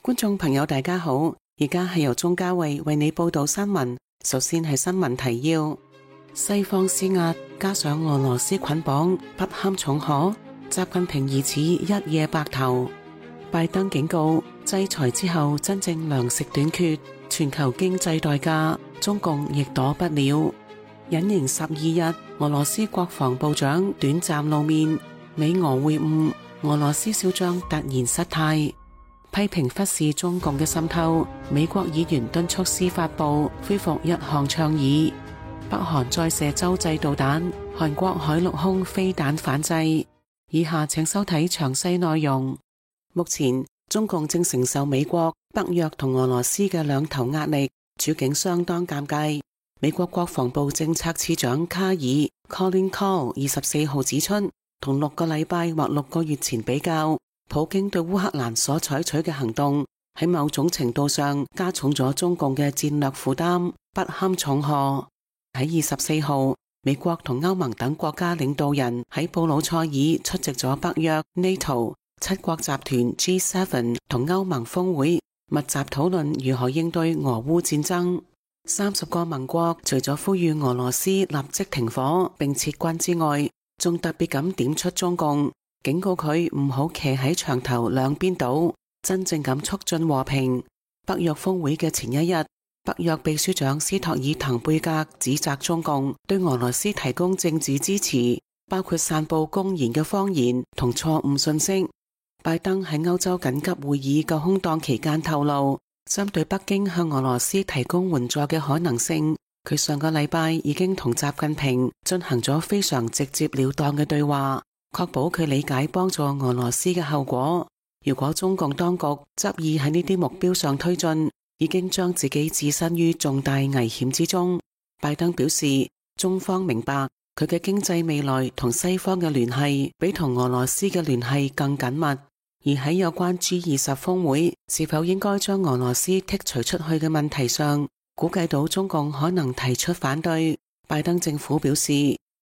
觀眾朋友大家好，而家係由鍾嘉慧為你報道新聞。首先係新聞提要：西方施壓加上俄羅斯捆綁不堪重荷，習近平疑似一夜白頭。拜登警告制裁之後真正糧食短缺，全球經濟代價中共亦躲不了。隱形12日，俄羅斯國防部長短暫露面，美俄會晤，俄羅斯少將突然失態。批評忽視中共嘅滲透，美國議員敦促司法部恢復一項倡議。北韓再射洲際導彈，韓國海陸空飛彈反制。以下請收睇詳細內容。目前中共正承受美國、北約同俄羅斯嘅兩頭壓力，處境相當尷尬。美國國防部政策次長卡爾 Colin Kahl 24號指出，同6個禮拜或6個月前比較，普京對烏克蘭所採取嘅行動喺某種程度上加重咗中共嘅戰略負擔，不堪重荷。喺24號，美國同歐盟等國家領導人喺布魯塞爾出席咗北約 NATO 7國集團 G7 同歐盟峰會，密集討論如何應對俄烏戰爭。30個盟國除咗呼籲俄羅斯立即停火並撤軍之外，仲特別咁點出中共，警告佢唔好騎喺牆頭兩邊倒，真正咁促進和平。北約峰會嘅前一日，北約秘書長斯托爾滕貝格指責中共對俄羅斯提供政治支持，包括散布公然嘅謊言同錯誤信息。拜登喺歐洲緊急會議嘅空檔期間透露，針對北京向俄羅斯提供援助嘅可能性，佢上個禮拜已經同習近平進行咗非常直接了當嘅對話，確保佢理解幫助俄羅斯嘅後果。如果中共當局執意喺呢啲目標上推進，已經將自己置身於重大危險之中。拜登表示，中方明白佢嘅經濟未來同西方嘅聯繫比同俄羅斯嘅聯繫更緊密。而喺有關 G20 峰會是否應該將俄羅斯剔除出去嘅問題上，估計到中共可能提出反對。拜登政府表示，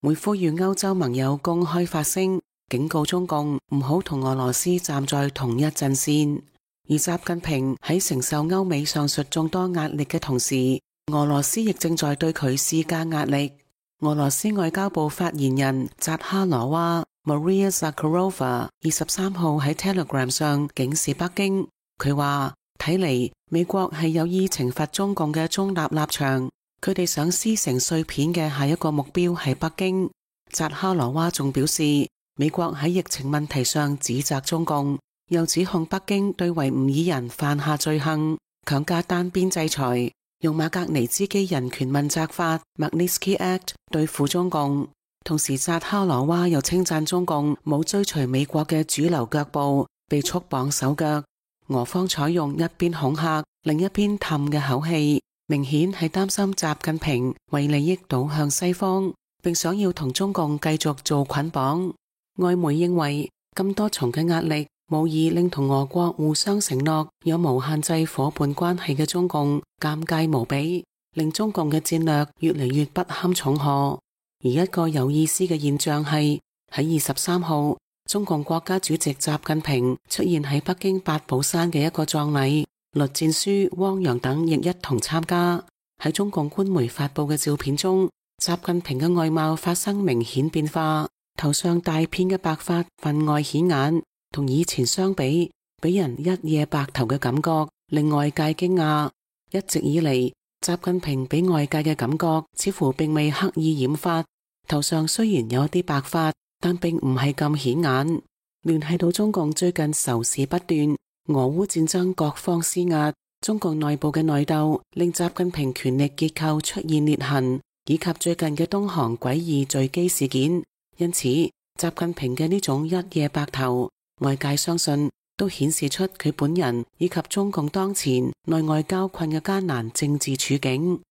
會呼籲歐洲盟友公開發聲，警告中共唔好同俄羅斯站在同一陣線。而習近平喺承受歐美上述眾多壓力嘅同時，俄羅斯亦正在對佢施加壓力。俄羅斯外交部發言人扎哈羅娃 Maria Zakharova 23號喺 Telegram 上警示北京，佢話睇嚟美國係有意懲罰中共嘅中立立場，佢哋想撕成碎片嘅下一個目標係北京。扎哈羅娃仲表示，美國喺疫情問題上指責中共，又指控北京對維吾爾人犯下罪行，強加單邊制裁，用馬格尼茲基人權問責法 Magnitsky Act 對付中共。同時，扎哈羅娃又稱讚中共冇追隨美國嘅主流腳步，被束綁手腳。俄方採用一邊恐嚇，另一邊氹嘅口氣，明顯係擔心習近平為利益倒向西方，並想要同中共繼續做捆綁。外媒認為，咁多重嘅壓力無疑令同俄國互相承諾有無限制夥伴關係嘅中共尷尬無比，令中共嘅戰略越嚟越不堪重荷。而一個有意思嘅現象係，喺23號，中共國家主席習近平出現喺北京八寶山嘅一個葬禮，栗戰書、汪洋等亦一同參加。喺中共官媒發佈嘅照片中，習近平嘅外貌發生明顯變化，頭上大片嘅白髮分外顯眼，同以前相比，俾人一夜白頭嘅感覺，令外界驚訝。一直以嚟，習近平俾外界嘅感覺似乎並未刻意染髮，頭上雖然有啲白髮，但並唔係咁顯眼。聯繫到中共最近仇視不斷，俄烏戰爭各方施壓，中共內部嘅內鬥令習近平權力結構出現裂痕，以及最近嘅東航詭異墜機事件。因此，習近平嘅呢種一夜白頭，外界相信都顯示出佢本人以及中共當前內外交困嘅艱難政治處境。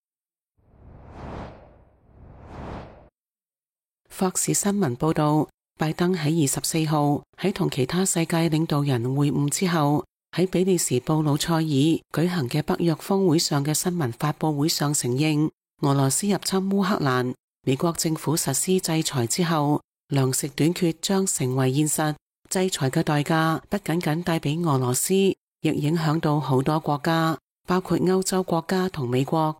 霍士新聞報道，拜登喺24號喺同其他世界領導人會晤之後，喺比利時布魯塞爾舉行嘅北約峰會上嘅新聞發佈會上承認，俄羅斯入侵烏克蘭，美國政府實施制裁之後，糧食短缺將成為現實。制裁嘅代價不僅僅帶俾俄羅斯，亦影響到好多國家，包括歐洲國家同美國。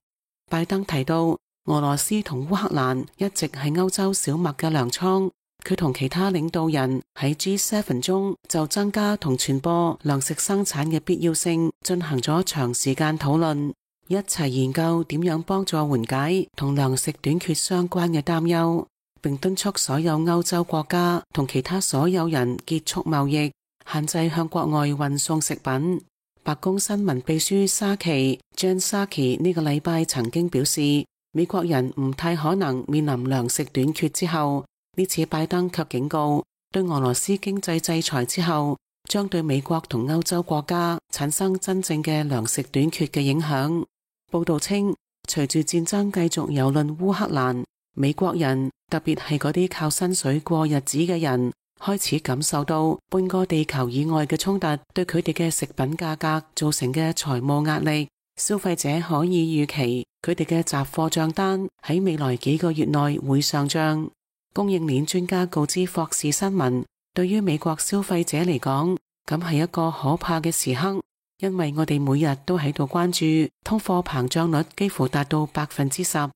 拜登提到，俄羅斯同烏克蘭一直係歐洲小麥嘅糧倉。佢同其他領導人喺 G7 中就增加同傳播糧食生產嘅必要性進行咗長時間討論，一齊研究點樣幫助緩解同糧食短缺相關嘅擔憂，並敦促所有歐洲國家同其他所有人結束貿易，限制向國外運送食品。白宮新聞秘書沙奇 Jen Psaki 呢個禮拜曾經表示，美國人唔太可能面臨糧食短缺之後。呢次拜登卻警告，對俄羅斯經濟制裁之後，將對美國同歐洲國家產生真正嘅糧食短缺嘅影響。報道稱，隨住戰爭繼續蹂躪烏克蘭，美國人，特別係嗰啲靠薪水過日子嘅人，開始感受到半個地球以外嘅衝突對佢哋嘅食品價格造成嘅財務壓力。消費者可以預期，佢哋嘅雜貨賬單喺未來幾個月內會上漲。供應鏈專家告知霍士新聞，對於美國消費者嚟講，咁係一個可怕嘅時刻，因為我哋每日都喺度關注通貨膨脹率幾乎達到10%。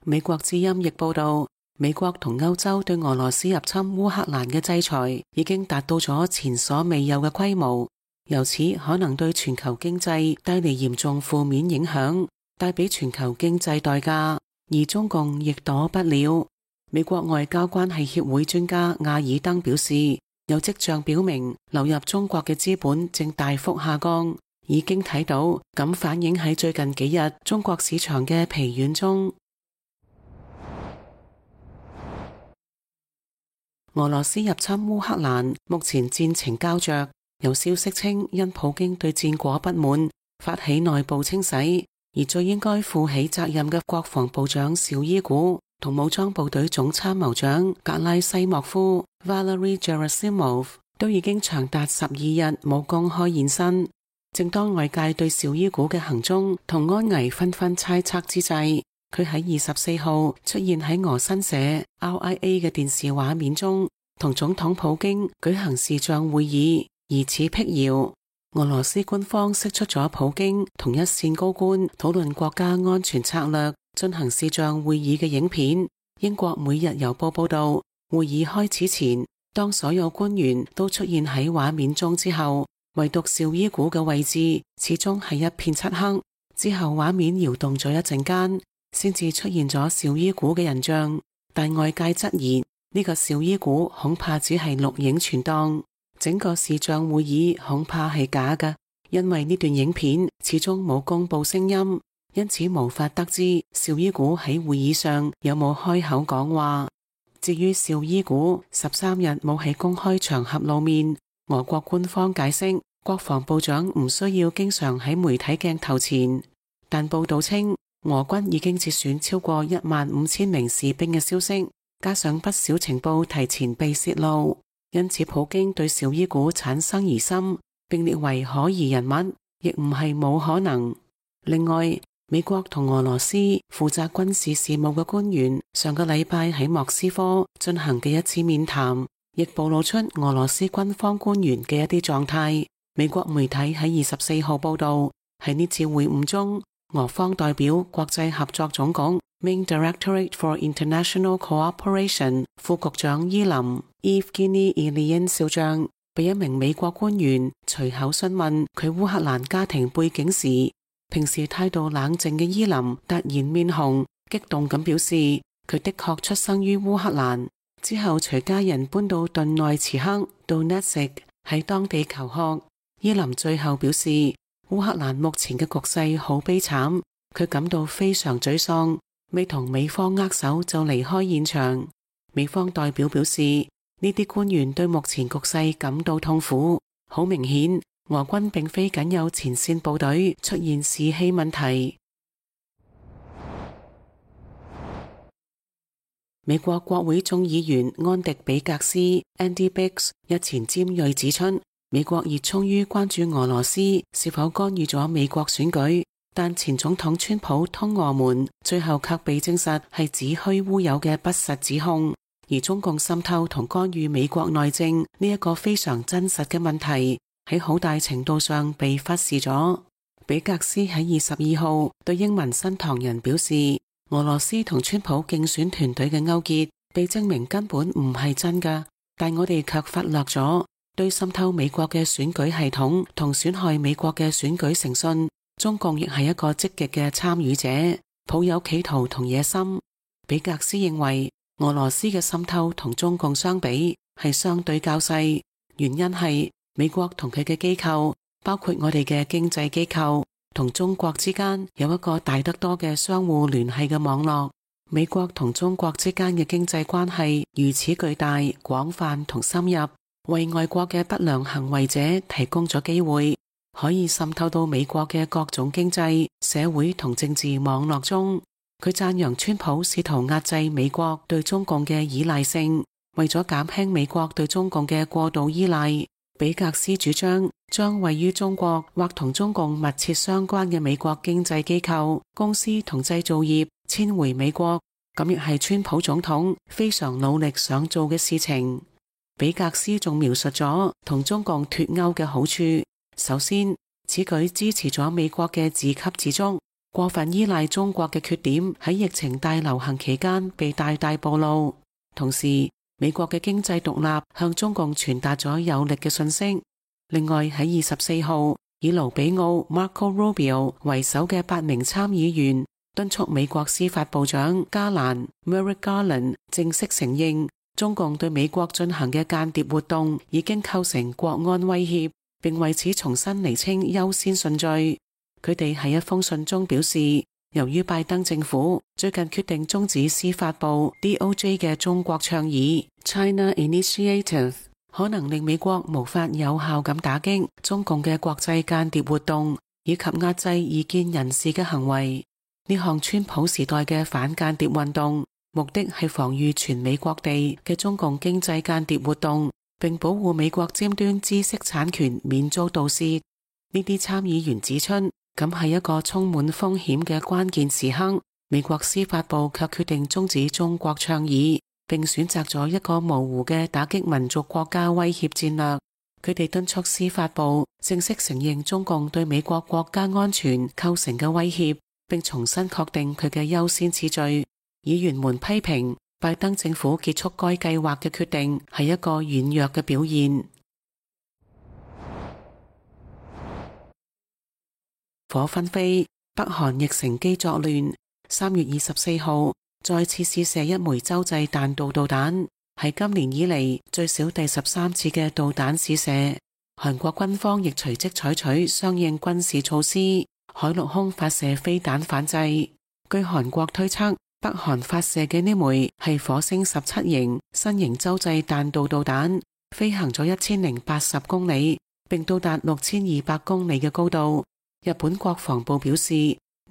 美國之音亦報道，美國同歐洲對俄羅斯入侵烏克蘭嘅制裁已經達到咗前所未有嘅規模，由此可能對全球經濟帶嚟嚴重負面影響，帶俾全球經濟代價，而中共亦躲不了。美國外交關係協會專家亞爾登表示，有跡象表明流入中國嘅資本正大幅下降，已經睇到咁反映喺最近幾日中國市場嘅疲軟中。俄羅斯入侵烏克蘭，目前戰情膠着，有消息稱因普京對戰果不滿，發起內部清洗，而最應該負起責任嘅國防部長紹伊古同武裝部隊總參謀長格拉西莫夫 Valery Gerasimov 都已經長達12日冇公開現身。正當外界對紹伊古嘅行蹤同安危紛紛猜測之際，佢喺24號出現喺俄新社 RIA 嘅電視畫面中，同總統普京舉行視像會議，疑似闢謠。俄羅斯官方釋出咗普京同一線高官討論國家安全策略進行視像會議嘅影片。英國每日郵報報道，會議開始前，當所有官員都出現喺畫面中之後，唯獨紹伊古嘅位置始終係一片漆黑。之後畫面搖動咗一陣間，先至出現咗紹伊古嘅人像，但外界質疑呢個紹伊古恐怕只係錄影存檔，整個視像會議恐怕係假嘅，因為呢段影片始終冇公布聲音，因此無法得知紹伊古喺會議上有冇開口講話。至於紹伊古13日冇喺公開場合露面，俄國官方解釋國防部長唔需要經常喺媒體鏡頭前，但報道稱俄軍已經節選超過15000名士兵嘅消息，加上不少情報提前被泄露，因此普京對紹伊古產生疑心，並列為可疑人物，亦唔係冇可能。另外，美國同俄羅斯負責軍事事務嘅官員上個禮拜喺莫斯科進行嘅一次面談，亦暴露出俄羅斯軍方官員嘅一啲狀態。美國媒體喺24號報道，喺呢次會晤中，俄方代表國際合作總局 Main Directorate for International Cooperation 副局長伊林 Evgeny Ilyin 少將被一名美國官員隨口詢問佢烏克蘭家庭背景時，平時態度冷靜嘅伊林突然面紅，激動咁表示佢的確出生於烏克蘭，之後隨家人搬到頓內茨克 Donetsk 喺當地求學。伊林最後表示烏克蘭目前嘅局勢好悲慘，佢感到非常沮喪，未同美方握手就離開現場。美方代表表示，呢啲官員對目前局勢感到痛苦，好明顯俄軍並非僅有前線部隊出現士氣問題。美國國會眾議員安迪比格斯 Andy Biggs 日前尖銳指出，美國熱衷於關注俄羅斯是否干預咗美國選舉，但前總統川普通俄門最後卻被證實係子虛烏有嘅不實指控。而中共滲透同干預美國內政呢一個非常真實嘅問題，喺好大程度上被忽視咗。比格斯喺22號對英文新唐人表示，俄羅斯同川普競選團隊嘅勾結被證明根本唔係真㗎，但我哋卻忽略咗對滲透美國嘅選舉系統同損害美國嘅選舉誠信，中共亦係一個積極嘅參與者，抱有企圖同野心。比格斯認為俄羅斯嘅滲透同中共相比係相對較細，原因係美國同佢嘅機構，包括我哋嘅經濟機構，同中國之間有一個大得多嘅相互聯繫嘅網絡。美國同中國之間嘅經濟關係如此巨大、廣泛同深入，為外國嘅不良行為者提供咗機會，可以滲透到美國嘅各種經濟、社會同政治網絡中。佢讚揚川普試圖壓制美國對中共嘅依賴性，為咗減輕美國對中共嘅過度依賴，比格斯主張將位於中國或同中共密切相關嘅美國經濟機構、公司同製造業遷回美國，咁亦係川普總統非常努力想做嘅事情。比格斯仲描述咗同中共脫鈎嘅好處。首先，此舉支持咗美國嘅自給自足，過分依賴中國嘅缺點喺疫情大流行期間被大大暴露。同時，美國嘅經濟獨立向中共傳達咗有力嘅信息。另外，喺24號，以盧比奧 Marco Rubio 為首嘅8名參議員敦促美國司法部長加蘭 Merrick Garland 正式承認中共對美國進行嘅間諜活動已經構成國安威脅，並為此重新釐清優先順序。佢哋喺一封信中表示，由於拜登政府最近決定終止司法部 DOJ 嘅中國倡議 China Initiative， 可能令美國無法有效咁打擊中共嘅國際間諜活動以及壓制異見人士嘅行為。呢項川普時代嘅反間諜運動，目的係防禦全美各地嘅中共經濟間諜活動，並保護美國尖端知識產權免遭盜竊。呢啲參議員指出，咁係一個充滿風險嘅關鍵時刻，美國司法部卻決定終止中國倡議，並選擇咗一個模糊嘅打擊民族國家威脅戰略。佢哋敦促司法部正式承認中共對美國國家安全構成嘅威脅，並重新確定佢嘅優先次序。議員們批評拜登政府結束該計劃嘅決定係一個軟弱嘅表現。火紛飛，北韓亦乘機作亂。3月24號再次試射一枚洲際彈道導彈，係今年以嚟最少第13次嘅導彈試射。韓國軍方亦隨即採取相應軍事措施，海陸空發射飛彈反制。據韓國推測，北韓發射嘅呢枚係火星17型新型洲際彈道導彈，飛行咗1080公里，並到達6200公里嘅高度。日本國防部表示，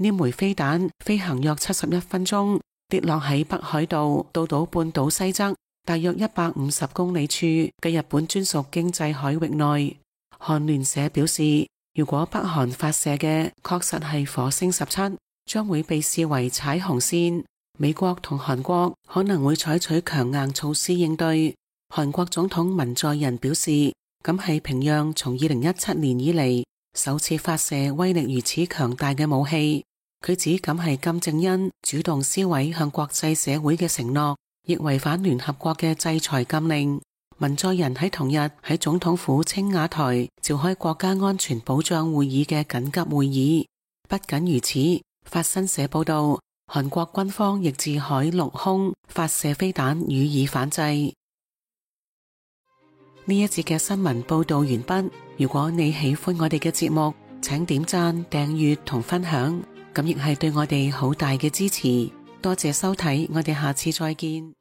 呢枚飛彈飛行約71分鐘，跌落喺北海道道島半島西側大約150公里處嘅日本專屬經濟海域內。韓聯社表示，如果北韓發射嘅確實係火星17，將會被視為踩紅線，美國同韓國可能會採取強硬措施應對。韓國總統文在寅表示，咁係平壤從2017年以嚟首次發射威力如此強大嘅武器。佢指咁係金正恩主動撕毀向國際社會嘅承諾，亦違反聯合國嘅制裁禁令。文在寅喺同日喺總統府青瓦台召開國家安全保障會議嘅緊急會議。不僅如此，法新社報道，韓國軍方亦自海陸空發射飛彈予以反制。呢一節嘅新聞報道完畢。如果你喜歡我哋嘅節目，請點讚、訂閱同分享，咁亦係對我哋好大嘅支持。多謝收睇，我哋下次再見。